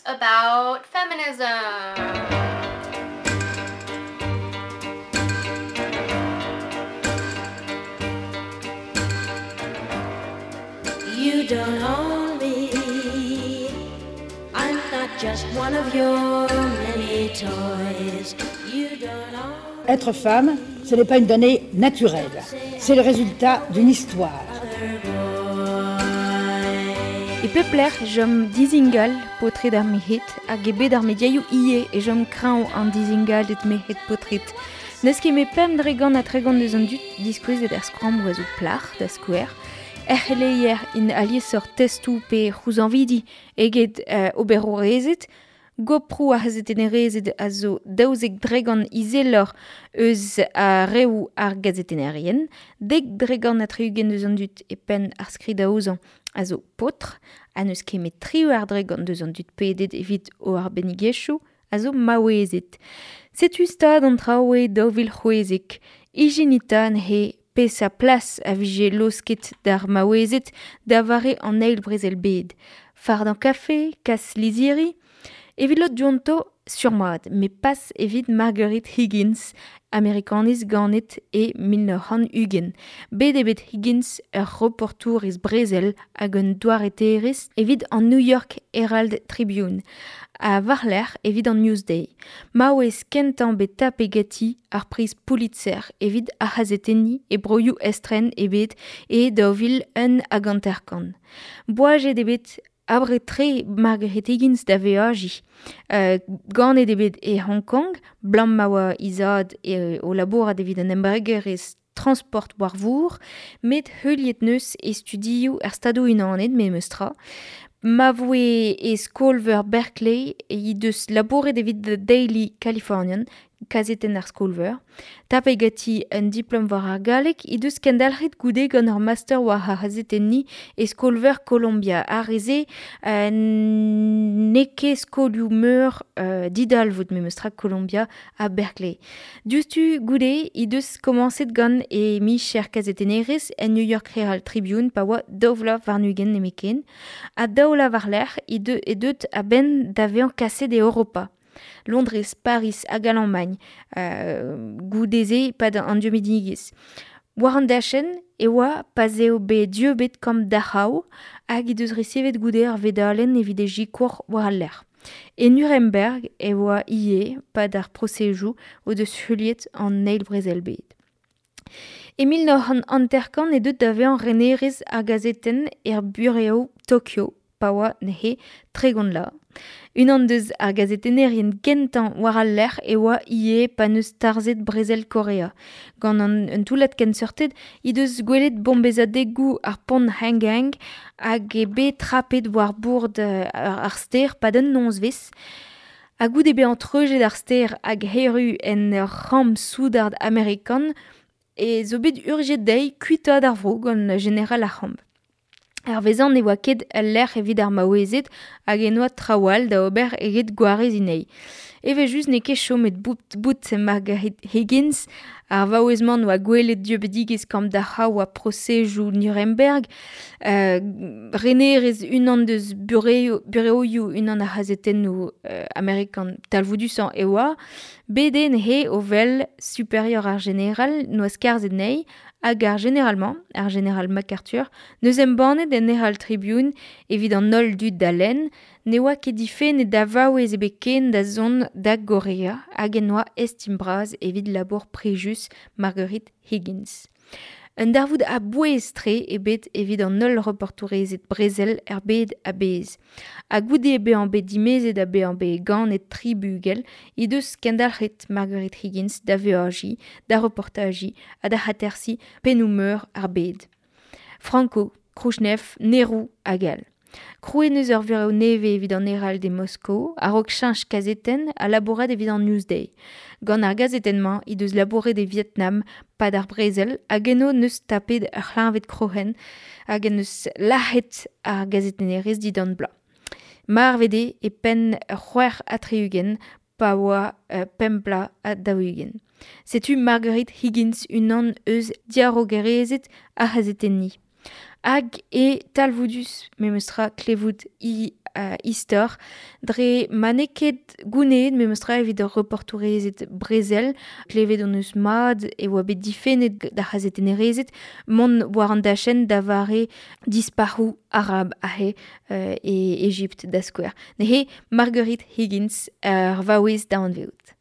about feminism. You don't own me. I'm not just one of your many toys. You don't own Être femme, ce n'est pas une donnée naturelle. C'est le résultat d'une histoire. E pep lec'h e chom dizingal paotred ar merc'hed hag e bed ar mediaioù ivez e chom kreñv an dizingalded merc'hed-paotred. N'eus ket met 5% eus an dud diskouezet er skrammoù a zo plac'h, da skouer. Er c'heleier int aliesoc'h testoù pe c'houzañvidi eget oberourezed. Goproù ar c'hazetennerezed a zo 12% izeloc'h eus ar reoù ar gazetennerien, 70% eus an dud e penn ar skridaozañ a zo paotr, ha n'eus ket met 18% eus an dud pedet evit o arbennigezhioù a zo maouezed. Setu stad an traoù e 2016. Ijinit 'ta neuze peseurt plas a vije laosket d'ar maouezed da vare an Eil Brezel-bed. Fardañ kafe, kas lizhiri. Evit lod dionto, sur-mat, met pas evit Marguerite Higgins, Amerikanez ganet e 1920. Bet eo bet Higgins ur reportourez brezel hag un doareterez evit an New York Herald Tribune, ha war-lerc'h evit an Newsday. Maouez kentañ bet tapet ganti ar priz Pulitzer evit ar c'hazetenniñ e broioù estren ebet e 2051. Boajet eo bet abred-tre Marguerite Higgins da veajiñ. Ganet eo bet e Hong Kong, 'blam ma oa he zad o labourat evit an embregerezh transport war vor, met heuliet 'neus e studioù er Stadoù-Unanet memes tra. Ma voe e skol-veur Berkeley he deus labouret evit The Daily Californian, kazetenn ar skol-veur. Tapet ganti un diplom war ar galleg he deus kendalc'het goude gant ur master war ar c'hazetenniñ e skol-veur Columbia. Ar re-se n'eo ket skolioù-meur didalvoud memes tra Columbia ha Berkeley. Diouzhtu goude he deus komañset gant he micher kazetennerez en New York Herald Tribune pa oa daou vloaz warn-ugent nemetken. Ha daou vloaz war-lerc'h he eo deuet a-benn da vezañ kaset e Europa. Londrez, Pariz hag Alamagn goude-se e-pad an dieubidigezh. War an dachenn e oa pa'z eo bet dieubet kamp Dachau hag he deus resevet goude ar vedalenn evit e sikour war al lec'h. E Nuremberg e oa ivez 'pad ar prosezoù o deus heuliet an Eil Brezel-bed. E 1950 eo deuet da vezañ renerez ar gazetenn er burev Tokyo pa oa neuze 30 vloaz. Unan deus ar gazetennerien gentañ war al lec'h e oa ivez pa 'neus tarzhet brezel Korea. Gant an un toullad kenseurted he deus gwelet bombezadegoù ar pont Hangang hag eo bet trapet war bord ar stêr 'pad un nozvezh. Ha goude bezañ treuzet ar stêr hag erru en ur c'hamp soudard amerikan e zo bet urzhiet dezhi kuitaat ar vro gant jeneral ar c'hamp. Hervezañ ne oa ket ul lec'h evit ar maouezed hag en oa traoù all da ober eget gwareziñ anezhi. Evel-just n'eo ket chomet bout Marguerite Higgins. Ar vaouez-mañ oa gwelet dieubidigezh kamp Dachau ha prosezoù Nuremberg. Renerez unan deus bureoioù unan ar c'hazetennoù amerikan talvoudusañ e oa. Bet eo neuze o wel superior ar jeneral 'noa skarzhet anezhi hag ar jeneral-mañ, ar jeneral MacArthur, 'neus embannet en Herald Tribune evit an holl dud da lenn ne oa ket difennet da vaouez ebet ken da zont da Gorea hag en oa estim bras evit labour prijus Marguerite Higgins. Un darvoud a-bouez-tre eo bet evit an holl reportourezed brezel er bed a-bezh. Ha goude bezañ bet dimezet ha bezañ bet ganet tri bugel he deus kendalc'het Marguerite Higgins da veajiñ, da reportajiñ ha da atersiñ pennoù-meur ar bed. Franco, Krouchnev, Nehru hag all. Krouet 'neus ur vurev nevez evit an Herald e Moskou, a-raok cheñch kazetenn ha labourat evit an Newsday. Gant ar gazetenn-mañ he deus labouret e Vietnam 'pad ar brezel hag eno 'neus tapet ur c'hleñved kroc'hen hag en deus lazhet ar gazetennerez dindan bloaz. Marvet eo e penn 66 pa oa 45 bloaz. Setu Marguerite Higgins unan eus diarogerezed ar c'hazetenniñ. Hag eo talvoudus memes tra klevout he istor, dre ma n'eo ket gouneet memestra evit ur reportourezed brezel, klevet hon eus mat e oa bet difennet d'ar c'hazetennerezed mont war an dachenn da vare dispac'hoù arab ahe e Egipt da skouer. Neuze Marguerite Higgins ur vaouez da anveout.